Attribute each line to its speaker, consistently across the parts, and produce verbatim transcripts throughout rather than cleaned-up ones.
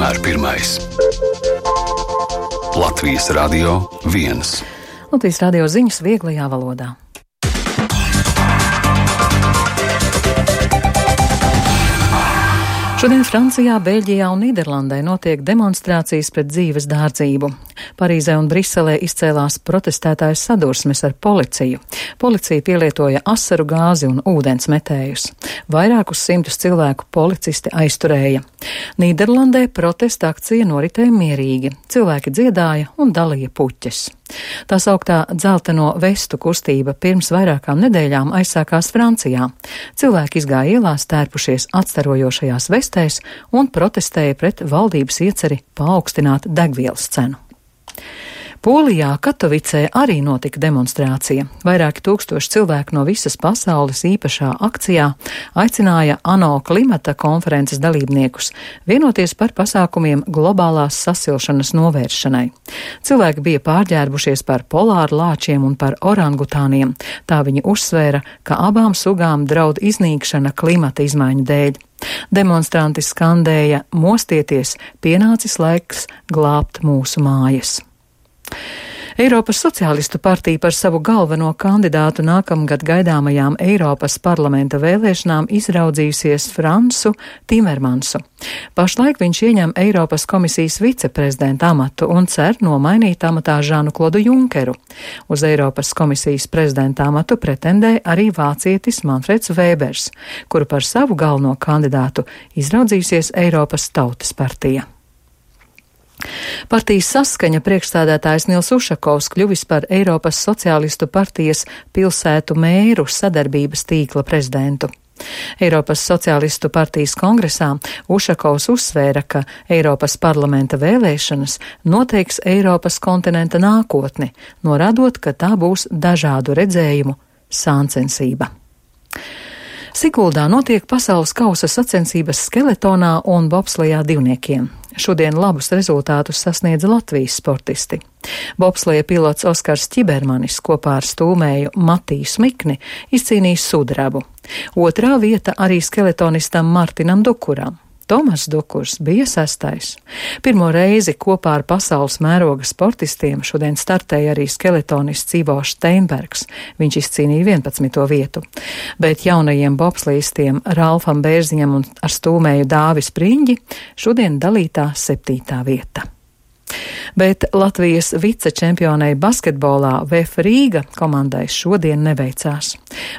Speaker 1: vienmēr pirmais. Latvijas Radio viens.
Speaker 2: Latvijas Radio ziņas vieglajā valodā. Šodien Francijā, Beļģijā un Nīderlandē notiek demonstrācijas pret dzīves dārdzību. Parīzē un Briselē izcēlās protestētājas sadursmes ar policiju. Policija pielietoja asaru gāzi un ūdens metējus. Vairākus simtus cilvēku policisti aizturēja. Nīderlandē protesta akcija noritēja mierīgi. Cilvēki dziedāja un dalīja puķes. Tā sauktā dzelteno vestu kustība pirms vairākām nedēļām aizsākās Francijā. Cilvēki izgāja ielās tērpušies atstarojošajās vestēs un protestēja pret valdības ieceri paaugstināt degvielas cenu. Polijā, Katovicē arī notika demonstrācija. Vairāki tūkstoši cilvēku no visas pasaules īpašā akcijā aicināja ANO klimata konferences dalībniekus vienoties par pasākumiem globālās sasilšanas novēršanai. Cilvēki bija pārģērbušies par polāru lāčiem un par orangutāniem. Tā viņi uzsvēra, ka abām sugām draud iznīkšana klimata izmaiņu dēļ. Demonstranti skandēja: mostieties, pienācis laiks glābt mūsu mājas. Eiropas Sociālistu partija par savu galveno kandidātu nākamgad gaidāmajām Eiropas parlamenta vēlēšanām izraudzījusies Fransu Timermansu. Pašlaik viņš ieņem Eiropas komisijas viceprezidenta amatu un cer nomainīt amatā Žanu Klodu Junkeru. Uz Eiropas komisijas prezidenta amatu pretendē arī vācietis Manfreds Vēbers, kuru par savu galveno kandidātu izraudzījusies Eiropas Tautas partija. Partijas Saskaņa priekšstādātājs Nils Ušakovs kļuvis par Eiropas Sociālistu partijas pilsētu mēru sadarbības tīkla prezidentu. Eiropas Sociālistu partijas kongresā Ušakovs uzsvēra, ka Eiropas parlamenta vēlēšanas noteiks Eiropas kontinenta nākotni, norādot, ka tā būs dažādu redzējumu sāncensība. Siguldā notiek pasaules kausa sacensības skeletonā un bobslejā divniekiem. Šodien labus rezultātus sasniedza Latvijas sportisti. Bobsleja pilots Oskars Ķibermanis kopā ar stūmēju Matiju Smikni izcīnīja sudrabu. Otrā vieta arī skeletonistam Martinam Dukuram. Tomas Dukurs bija sestais. Pirmo reizi kopā ar pasaules mēroga sportistiem šodien startēja arī skeletonists Ivo Steinbergs. Viņš izcīnīja vienpadsmito vietu. Bet jaunajiem bobslejistiem Ralfam Bērziņam un ar stūmēju Dāvis Priņģi šodien dalītā septītā vieta. Bet Latvijas vicečempionei basketbolā V F Rīga komandai šodien neveicās.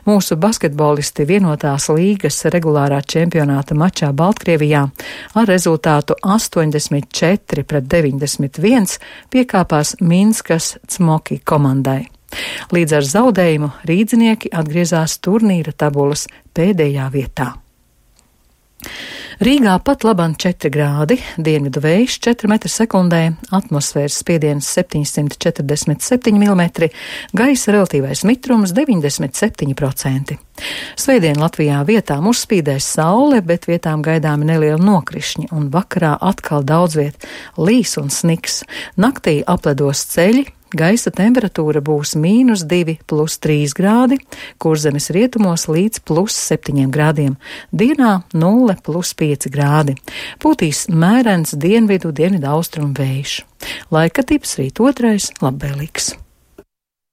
Speaker 2: Mūsu basketbolisti vienotās līgas regulārā čempionāta mačā Baltkrievijā ar rezultātu astoņdesmit četri pret deviņdesmit viens piekāpās Minskas Cmoki komandai. Līdz ar zaudējumu rīdzinieki atgriezās turnīra tabulas pēdējā vietā. Rīgā pat labam četri grādi, dienvidu vējš četri metri sekundē, atmosfēras spiediens septiņsimt četrdesmit septiņi milimetri, gaisa relatīvais mitrums deviņdesmit septiņi procenti. Svētdien Latvijā vietām uzspīdēs saule, bet vietām gaidāmi nelieli nokrišņi, un vakarā atkal daudz viet līs un sniks. Naktī apledos ceļi. Gaisa temperatūra būs mīnus divi plus trīs grādi, Kurzemes rietumos līdz plus septiņiem grādiem, dienā nulle plus pieci grādi. Pūtīs mērens dienvidu, dienvidu austrumu vējš. Laika tips rīt otrais labvēlīgs.